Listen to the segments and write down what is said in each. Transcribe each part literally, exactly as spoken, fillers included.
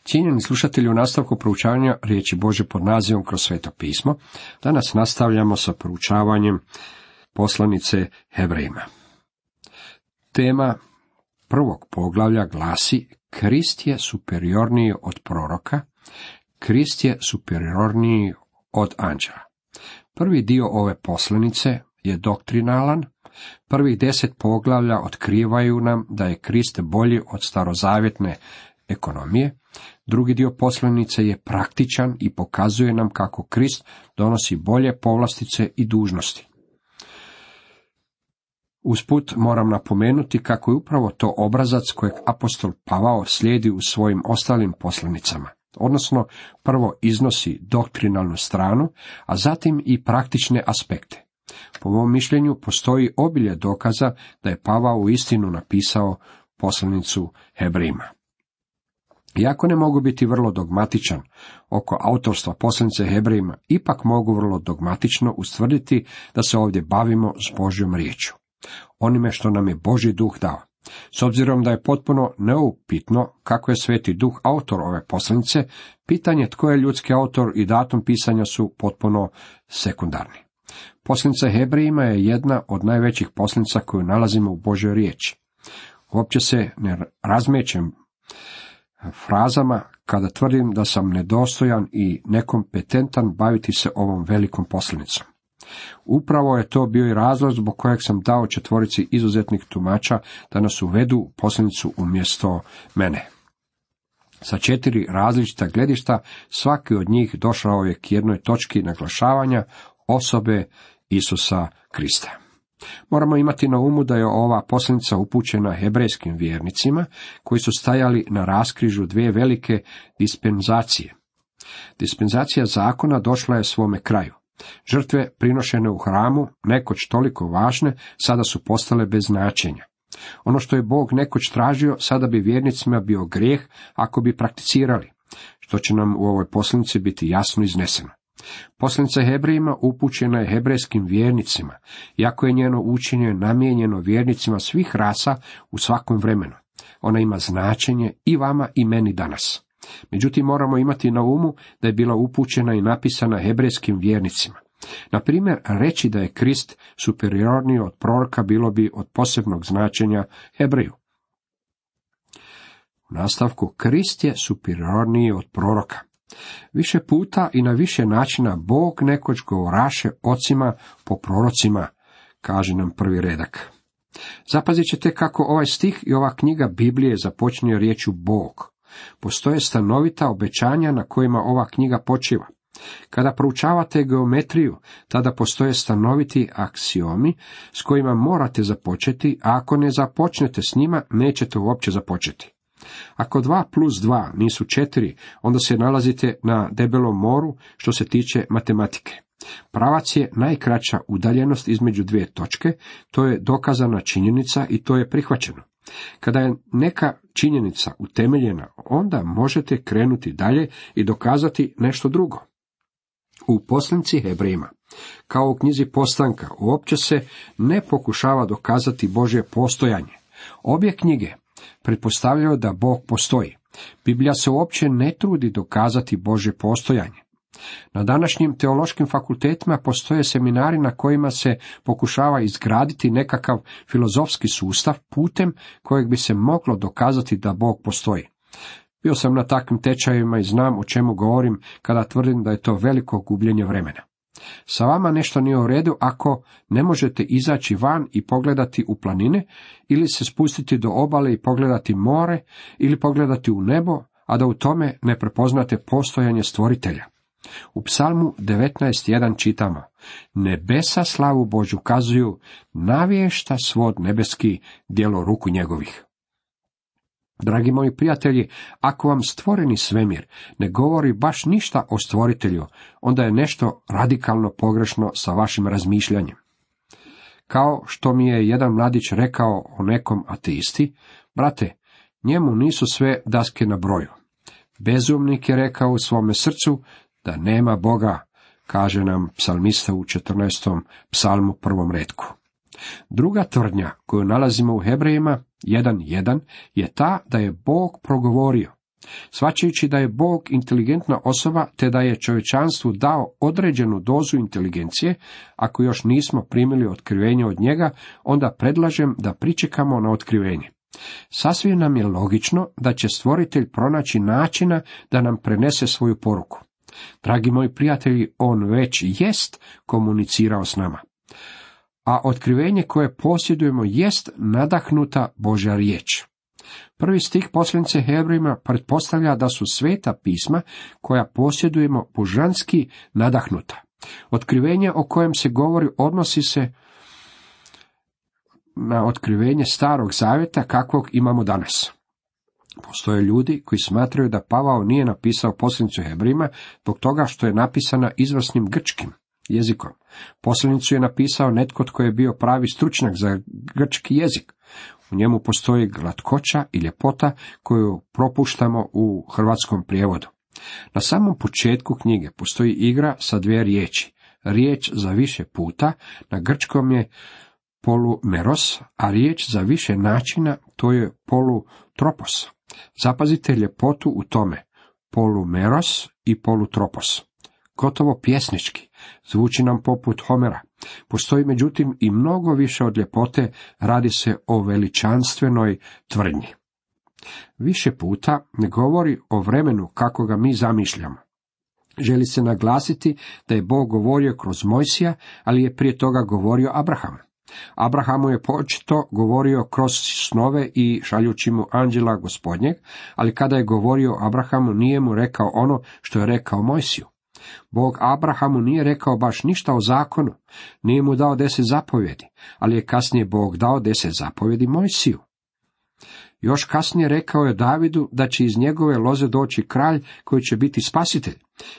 Cijenjeni slušatelji, u nastavku proučavanja riječi Božje pod nazivom Kroz sveto pismo, danas nastavljamo sa proučavanjem poslanice Hebrejima. Tema prvog poglavlja glasi: Krist je superiorniji od proroka, Krist je superiorniji od anđela. Prvi dio ove poslanice je doktrinalan. Prvih deset poglavlja otkrivaju nam da je Krist bolji od starozavjetne ekonomije. Drugi dio poslanice je praktičan i pokazuje nam kako Krist donosi bolje povlastice i dužnosti. Usput moram napomenuti kako je upravo to obrazac kojeg apostol Pavao slijedi u svojim ostalim poslanicama, odnosno prvo iznosi doktrinalnu stranu, a zatim i praktične aspekte. Po mom mišljenju postoji obilje dokaza da je Pavao uistinu napisao poslanicu Hebrejima. Iako ne mogu biti vrlo dogmatičan oko autorstva poslanice Hebrejima, ipak mogu vrlo dogmatično ustvrditi da se ovdje bavimo s Božjom riječju, onime što nam je Božji duh dao. S obzirom da je potpuno neupitno kako je Sveti Duh autor ove poslanice, pitanje tko je ljudski autor i datum pisanja su potpuno sekundarni. Poslanica Hebrejima je jedna od najvećih poslanica koju nalazimo u Božjoj riječi. Uopće se ne razmećem frazama kada tvrdim da sam nedostojan i nekompetentan baviti se ovom velikom poslanicom. Upravo je to bio i razlog zbog kojeg sam dao četvorici izuzetnih tumača da nas uvedu u poslanicu umjesto mene. Sa četiri različita gledišta svaki od njih došao je k jednoj točki naglašavanja osobe Isusa Krista. Moramo imati na umu da je ova poslanica upućena hebrejskim vjernicima koji su stajali na raskrižju dvije velike dispenzacije. Dispenzacija zakona došla je svome kraju. Žrtve prinošene u hramu, nekoć toliko važne, sada su postale bez značenja. Ono što je Bog nekoć tražio, sada bi vjernicima bio grijeh ako bi prakticirali, što će nam u ovoj poslanici biti jasno izneseno. Poslanica Hebrejima upućena je hebrejskim vjernicima, iako je njeno učenje namijenjeno vjernicima svih rasa u svakom vremenu. Ona ima značenje i vama i meni danas. Međutim, moramo imati na umu da je bila upućena i napisana hebrejskim vjernicima. Na primjer, reći da je Krist superiorniji od proroka bilo bi od posebnog značenja Hebreju. U nastavku, Krist je superiorniji od proroka. Više puta i na više načina Bog nekoć govoraše ocima po prorocima, kaže nam prvi redak. Zapazit ćete kako ovaj stih i ova knjiga Biblije započinje riječju Bog. Postoje stanovita obećanja na kojima ova knjiga počiva. Kada proučavate geometriju, tada postoje stanoviti aksiomi s kojima morate započeti, a ako ne započnete s njima, nećete uopće započeti. Ako dva plus dva nisu četiri, onda se nalazite na debelom moru što se tiče matematike. Pravac je najkraća udaljenost između dvije točke, to je dokazana činjenica i to je prihvaćeno. Kada je neka činjenica utemeljena, onda možete krenuti dalje i dokazati nešto drugo. U poslanici Hebrejima, kao u knjizi Postanka, uopće se ne pokušava dokazati Božje postojanje. Obje knjige pretpostavljaju da Bog postoji. Biblija se uopće ne trudi dokazati Božje postojanje. Na današnjim teološkim fakultetima postoje seminari na kojima se pokušava izgraditi nekakav filozofski sustav putem kojeg bi se moglo dokazati da Bog postoji. Bio sam na takvim tečajevima i znam o čemu govorim kada tvrdim da je to veliko gubljenje vremena. Sa vama nešto nije u redu ako ne možete izaći van i pogledati u planine, ili se spustiti do obale i pogledati more, ili pogledati u nebo, a da u tome ne prepoznate postojanje stvoritelja. U Psalmu devetnaest jedan čitamo: Nebesa slavu Božju kazuju, navješta svod nebeski djelo ruku njegovih. Dragi moji prijatelji, ako vam stvoreni svemir ne govori baš ništa o stvoritelju, onda je nešto radikalno pogrešno sa vašim razmišljanjem. Kao što mi je jedan mladić rekao o nekom ateisti: brate, njemu nisu sve daske na broju. Bezumnik je rekao u svome srcu da nema Boga, kaže nam psalmista u četrnaestom psalmu prvom retku. Druga tvrdnja koju nalazimo u Hebrejima jedan jedan je ta da je Bog progovorio. Shvaćajući da je Bog inteligentna osoba, te da je čovječanstvu dao određenu dozu inteligencije, ako još nismo primili otkrivenje od njega, onda predlažem da pričekamo na otkrivenje. Sasvim nam je logično da će stvoritelj pronaći načina da nam prenese svoju poruku. Dragi moji prijatelji, on već jest komunicirao s nama. A otkrivenje koje posjedujemo jest nadahnuta Božja riječ. Prvi stih poslanice Hebrejima pretpostavlja da su sveta pisma koja posjedujemo božanski nadahnuta. Otkrivenje o kojem se govori odnosi se na otkrivenje Starog zavjeta kakvog imamo danas. Postoje ljudi koji smatraju da Pavao nije napisao poslanicu Hebrejima zbog toga što je napisana izvrsnim grčkim jezikom. Poslanicu je napisao netko tko je bio pravi stručnjak za grčki jezik. U njemu postoji glatkoća i ljepota koju propuštamo u hrvatskom prijevodu. Na samom početku knjige postoji igra sa dvije riječi. Riječ za više puta na grčkom je polumeros, a riječ za više načina to je polutropos. Zapazite ljepotu u tome, polumeros i polutropos. Gotovo pjesnički, zvuči nam poput Homera. Postoji međutim i mnogo više od ljepote, radi se o veličanstvenoj tvrdnji. Više puta ne govori o vremenu kako ga mi zamišljamo. Želi se naglasiti da je Bog govorio kroz Mojsija, ali je prije toga govorio Abrahamu. Abrahamu je početo govorio kroz snove i šaljući mu anđela Gospodnjeg, ali kada je govorio Abrahamu nije mu rekao ono što je rekao Mojsiju. Bog Abrahamu nije rekao baš ništa o zakonu, nije mu dao deset zapovjedi, ali je kasnije Bog dao deset zapovjedi Mojsiju. Još kasnije rekao je Davidu da će iz njegove loze doći kralj koji će biti spasitelj.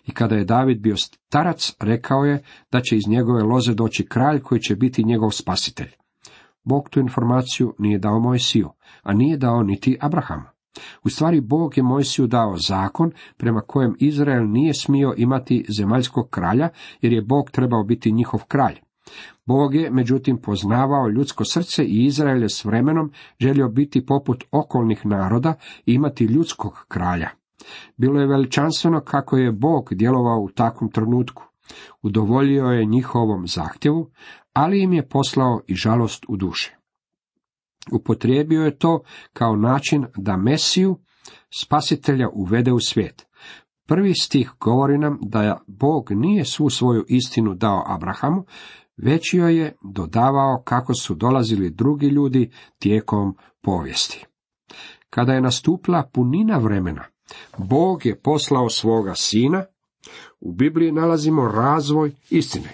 I kada je David bio starac, rekao je da će iz njegove loze doći kralj koji će biti njegov spasitelj. Bog tu informaciju nije dao Mojsiju, a nije dao niti Abrahamu. U stvari Bog je Mojsiju dao zakon prema kojem Izrael nije smio imati zemaljskog kralja, jer je Bog trebao biti njihov kralj. Bog je, međutim, poznavao ljudsko srce i Izrael je s vremenom želio biti poput okolnih naroda i imati ljudskog kralja. Bilo je veličanstveno kako je Bog djelovao u takvom trenutku. Udovoljio je njihovom zahtjevu, ali im je poslao i žalost u duši. Upotrijebio je to kao način da Mesiju, spasitelja, uvede u svijet. Prvi stih govori nam da Bog nije svu svoju istinu dao Abrahamu, već joj je dodavao kako su dolazili drugi ljudi tijekom povijesti. Kada je nastupila punina vremena, Bog je poslao svoga sina. U Bibliji nalazimo razvoj istine.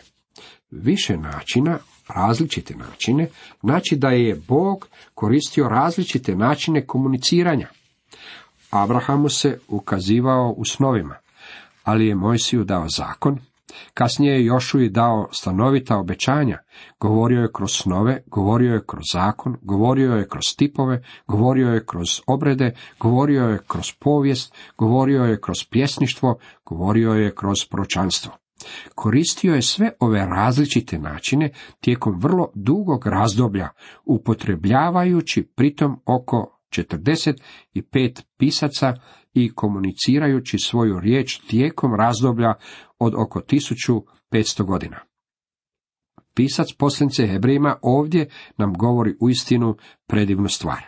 Više načina, različite načine, znači da je Bog koristio različite načine komuniciranja. Abrahamu se ukazivao u snovima, ali je Mojsiju dao zakon. Kasnije je Jošuji dao stanovita obećanja, govorio je kroz snove, govorio je kroz zakon, govorio je kroz tipove, govorio je kroz obrede, govorio je kroz povijest, govorio je kroz pjesništvo, govorio je kroz proročanstvo. Koristio je sve ove različite načine tijekom vrlo dugog razdoblja, upotrebljavajući pritom oko četrdeset pet pisaca i komunicirajući svoju riječ tijekom razdoblja od oko tisuću petsto godina. Pisac poslanice Hebrejima ovdje nam govori uistinu predivnu stvar.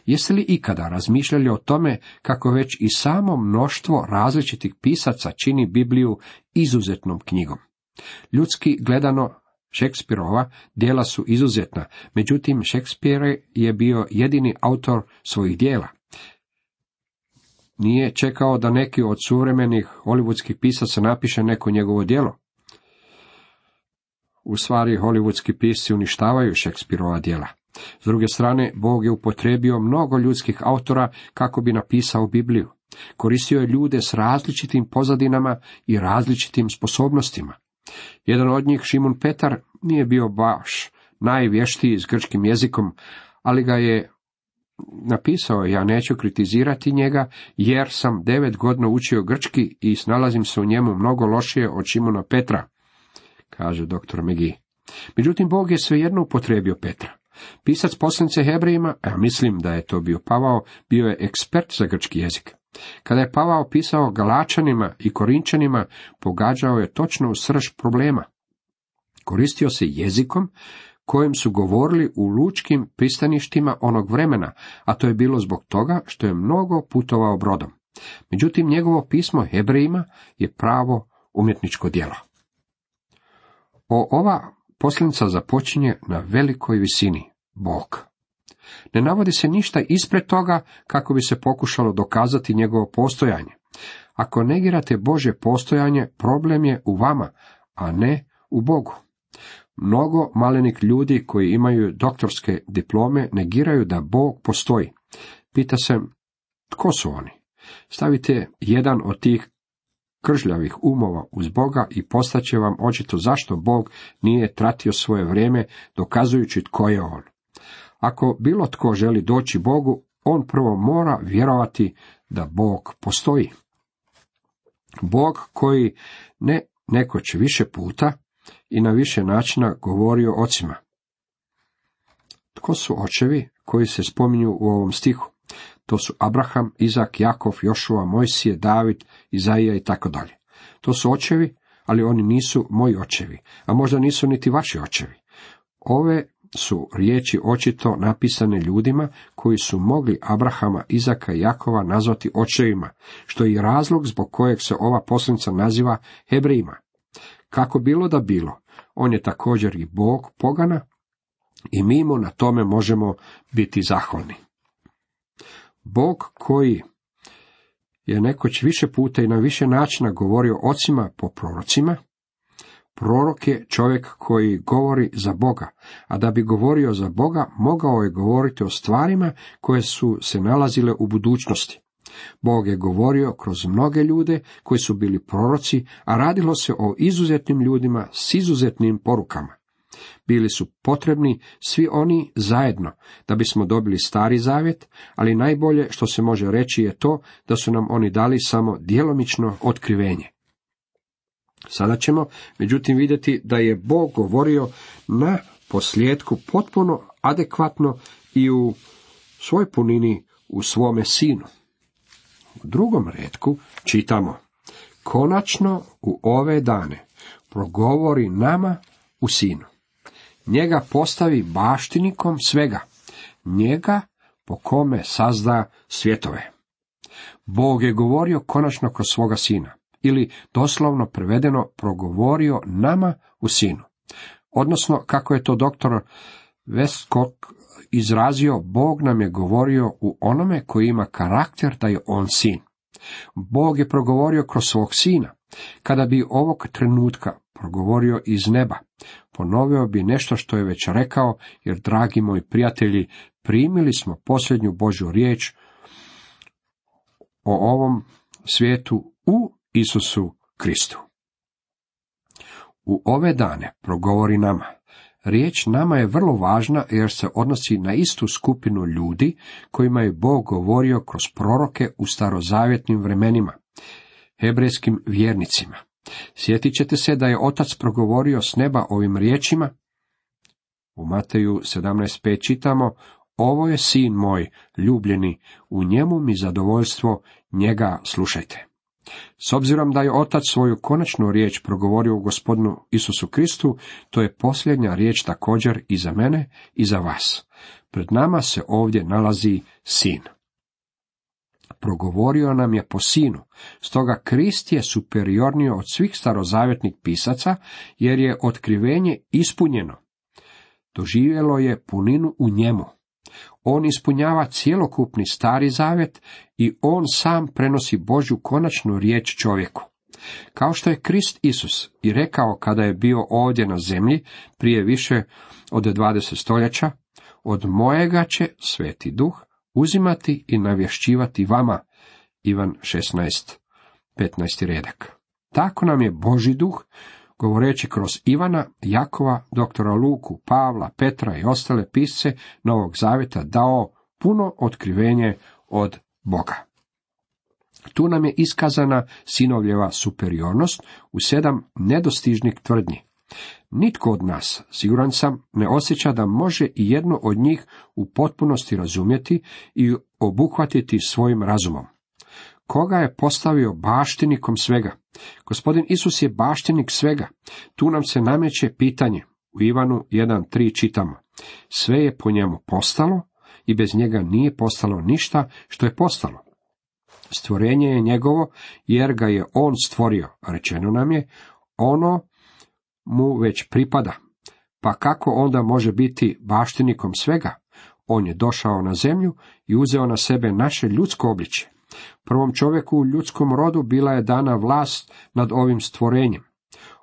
Jeste li ikada razmišljali o tome kako već i samo mnoštvo različitih pisaca čini Bibliju izuzetnom knjigom? Ljudski gledano, Šekspirova djela su izuzetna, međutim Šekspir je bio jedini autor svojih djela. Nije čekao da neki od suvremenih hollywoodskih pisaca napiše neko njegovo djelo. U stvari, hollywoodski pisci uništavaju Šekspirova djela. S druge strane, Bog je upotrijebio mnogo ljudskih autora kako bi napisao Bibliju. Koristio je ljude s različitim pozadinama i različitim sposobnostima. Jedan od njih, Šimun Petar, nije bio baš najvještiji s grčkim jezikom, ali ga je napisao. Ja neću kritizirati njega, jer sam devet godina učio grčki i snalazim se u njemu mnogo lošije od Šimuna Petra, kaže doktor McGee. Međutim, Bog je svejedno upotrijebio Petra. Pisac poslanice Hebrejima, a mislim da je to bio Pavao, bio je ekspert za grčki jezik. Kada je Pavao pisao Galačanima i Korinčanima, pogađao je točno u srž problema. Koristio se jezikom kojim su govorili u lučkim pristaništima onog vremena, a to je bilo zbog toga što je mnogo putovao brodom. Međutim, njegovo pismo Hebrejima je pravo umjetničko djelo. O, ova posljedica započinje na velikoj visini, Bog. Ne navodi se ništa ispred toga kako bi se pokušalo dokazati njegovo postojanje. Ako negirate Božje postojanje, problem je u vama, a ne u Bogu. Mnogo malenih ljudi koji imaju doktorske diplome negiraju da Bog postoji. Pita se, tko su oni? Stavite jedan od tih kržljavih umova uz Boga i postaće vam očito zašto Bog nije tratio svoje vrijeme dokazujući tko je on. Ako bilo tko želi doći Bogu, on prvo mora vjerovati da Bog postoji. Bog koji ne nekoć više puta i na više načina govorio ocima. Tko su očevi koji se spominju u ovom stihu? To su Abraham, Izak, Jakov, Jošua, Mojsije, David, Izaija i tako dalje. To su očevi, ali oni nisu moji očevi, a možda nisu niti vaši očevi. Ove su riječi očito napisane ljudima koji su mogli Abrahama, Izaka i Jakova nazvati očevima, što je i razlog zbog kojeg se ova posljedica naziva Hebrejima. Kako bilo da bilo, on je također i Bog pogana i mi mu na tome možemo biti zahvalni. Bog koji je nekoć više puta i na više načina govorio ocima po prorocima, prorok je čovjek koji govori za Boga, a da bi govorio za Boga, mogao je govoriti o stvarima koje su se nalazile u budućnosti. Bog je govorio kroz mnoge ljude koji su bili proroci, a radilo se o izuzetnim ljudima s izuzetnim porukama. Bili su potrebni svi oni zajedno da bismo dobili Stari Zavjet, ali najbolje što se može reći je to da su nam oni dali samo djelomično otkrivenje. Sada ćemo, međutim, vidjeti da je Bog govorio na posljedku potpuno adekvatno i u svoj punini u svome sinu. U drugom retku čitamo: konačno u ove dane progovori nama u sinu. Njega postavi baštinikom svega, njega po kome sazda svjetove. Bog je govorio konačno kroz svoga sina, ili doslovno prevedeno progovorio nama u sinu. Odnosno, kako je to doktor Westcott izrazio, Bog nam je govorio u onome koji ima karakter da je on sin. Bog je progovorio kroz svog sina. Kada bi ovog trenutka progovorio iz neba, ponovio bi nešto što je već rekao, jer, dragi moji prijatelji, primili smo posljednju Božju riječ o ovom svijetu u Isusu Kristu. U ove dane progovori nama. Riječ nama je vrlo važna jer se odnosi na istu skupinu ljudi kojima je Bog govorio kroz proroke u starozavjetnim vremenima, hebrejskim vjernicima. Sjetit ćete se da je Otac progovorio s neba ovim riječima. U Mateju sedamnaest pet čitamo: ovo je sin moj ljubljeni, u njemu mi zadovoljstvo, njega slušajte. S obzirom da je Otac svoju konačnu riječ progovorio u Gospodinu Isusu Kristu, to je posljednja riječ također i za mene i za vas. Pred nama se ovdje nalazi sin. Progovorio nam je po sinu, stoga Krist je superiorniji od svih starozavjetnih pisaca, jer je otkrivenje ispunjeno. Doživjelo je puninu u njemu. On ispunjava cjelokupni Stari Zavjet i on sam prenosi Božju konačnu riječ čovjeku. Kao što je Krist Isus i rekao kada je bio ovdje na zemlji prije više od dvadeset stoljeća, od mojega će Sveti Duh uzimati i navješćivati vama. Ivan šesnaest petnaesti redak. Tako nam je Božji Duh, govoreći kroz Ivana, Jakova, doktora Luku, Pavla, Petra i ostale pisce Novog Zavjeta, dao puno otkrivenje od Boga. Tu nam je iskazana sinovljeva superiornost u sedam nedostižnih tvrdnji. Nitko od nas, siguran sam, ne osjeća da može i jednu od njih u potpunosti razumjeti i obuhvatiti svojim razumom. koga je postavio baštinikom svega. Gospodin Isus je baštinik svega. Tu nam se nameće pitanje. U Ivanu jedan tri čitamo. Sve je po njemu postalo i bez njega nije postalo ništa što je postalo. Stvorenje je njegovo, jer ga je on stvorio. Rečeno nam je, ono mu već pripada. Pa kako onda može biti baštinikom svega? On je došao na zemlju i uzeo na sebe naše ljudsko obličje. Prvom čovjeku u ljudskom rodu bila je dana vlast nad ovim stvorenjem.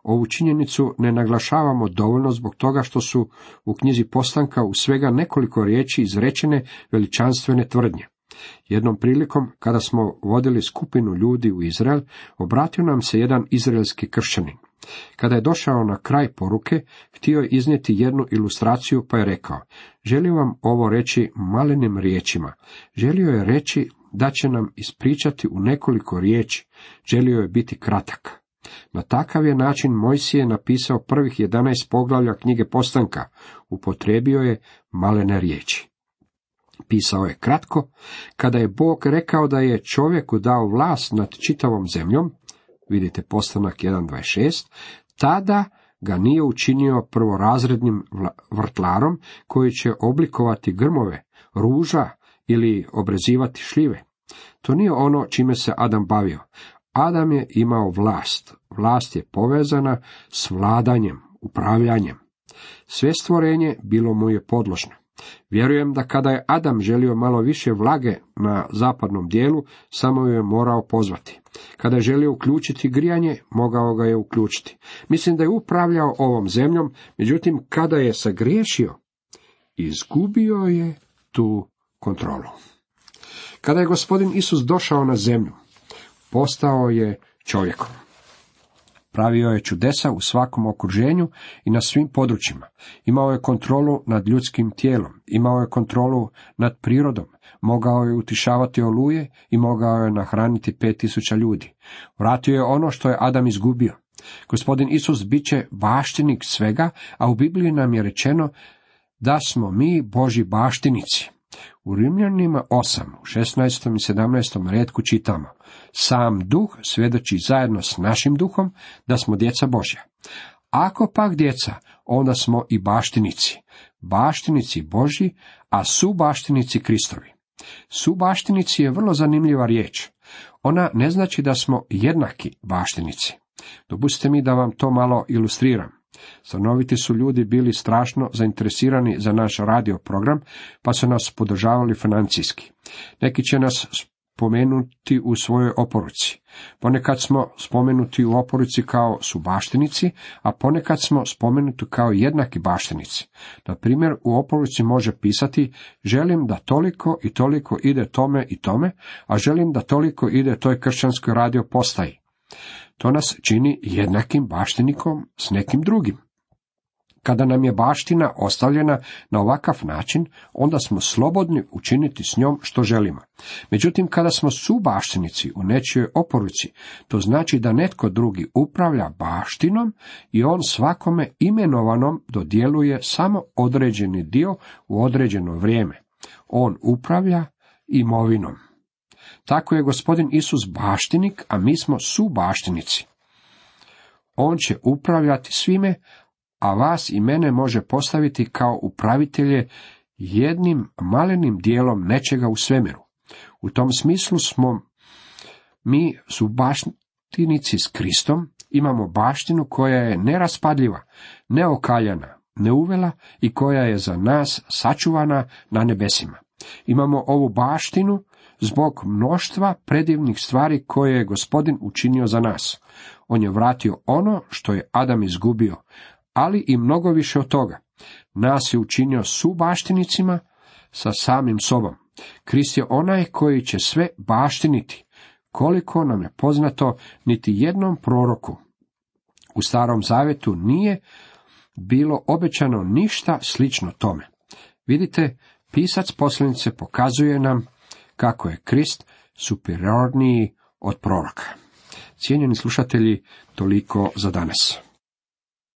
Ovu činjenicu ne naglašavamo dovoljno zbog toga što su u knjizi Postanka u svega nekoliko riječi izrečene veličanstvene tvrdnje. Jednom prilikom, kada smo vodili skupinu ljudi u Izrael, obratio nam se jedan izraelski kršćanin. Kada je došao na kraj poruke, htio je iznijeti jednu ilustraciju, pa je rekao, želim vam ovo reći malenim riječima. Želio je reći da će nam ispričati u nekoliko riječi. Želio je biti kratak. Na takav je način Mojsije napisao prvih jedanaest poglavlja knjige Postanka. Upotrijebio je malene riječi. Pisao je kratko. Kada je Bog rekao da je čovjeku dao vlast nad čitavom zemljom, vidite Postanak jedan dvadeset šest, tada ga nije učinio prvorazrednim vrtlarom koji će oblikovati grmove, ruža ili obrezivati šljive. To nije ono čime se Adam bavio. Adam je imao vlast. Vlast je povezana s vladanjem, upravljanjem. Sve stvorenje bilo mu je podložno. Vjerujem da kada je Adam želio malo više vlage na zapadnom dijelu, samo ju je morao pozvati. Kada je želio uključiti grijanje, mogao ga je uključiti. Mislim da je upravljao ovom zemljom, međutim kada je sagriješio, izgubio je tu kontrolu. Kada je gospodin Isus došao na zemlju, postao je čovjekom. Pravio je čudesa u svakom okruženju i na svim područjima. Imao je kontrolu nad ljudskim tijelom, imao je kontrolu nad prirodom, mogao je utišavati oluje i mogao je nahraniti pet tisuća ljudi. Vratio je ono što je Adam izgubio. Gospodin Isus bit će baštinik svega, a u Bibliji nam je rečeno da smo mi Božji baštinici. U Rimljanima osam, u šesnaestom i sedamnaestom retku čitamo, sam duh svjedoči zajedno s našim duhom da smo djeca Božja. Ako pak djeca, onda smo i baštinici, baštinici Božji, a subaštinici Kristovi. Subaštinici je vrlo zanimljiva riječ. Ona ne znači da smo jednaki baštinici. Dopustite mi da vam to malo ilustriram. Stanoviti su ljudi bili strašno zainteresirani za naš radio program, pa su nas podržavali financijski. Neki će nas spomenuti u svojoj oporuci. Ponekad smo spomenuti u oporuci kao subaštinici, a ponekad smo spomenuti kao jednaki baštinici. Na primjer, u oporuci može pisati, želim da toliko i toliko ide tome i tome, a želim da toliko ide toj kršćanskoj radio postaji. To nas čini jednakim baštinikom s nekim drugim. Kada nam je baština ostavljena na ovakav način, onda smo slobodni učiniti s njom što želimo. Međutim, kada smo subaštinici u nečijoj oporuci, to znači da netko drugi upravlja baštinom i on svakome imenovanom dodjeljuje samo određeni dio u određeno vrijeme. On upravlja imovinom. Tako je gospodin Isus baštinik, a mi smo subaštinici. On će upravljati svime, a vas i mene može postaviti kao upravitelje jednim malenim dijelom nečega u svemiru. U tom smislu smo mi subaštinici s Kristom, imamo baštinu koja je neraspadljiva, neokaljana, neuvela i koja je za nas sačuvana na nebesima. Imamo ovu baštinu zbog mnoštva predivnih stvari koje je gospodin učinio za nas. On je vratio ono što je Adam izgubio, ali i mnogo više od toga. Nas je učinio subaštinicima sa samim sobom. Krist je onaj koji će sve baštiniti. Koliko nam je poznato, niti jednom proroku u Starom Zavjetu nije bilo obećano ništa slično tome. Vidite, pisac poslanice pokazuje nam kako je Krist superiorniji od proroka. Cijenjeni slušatelji, toliko za danas.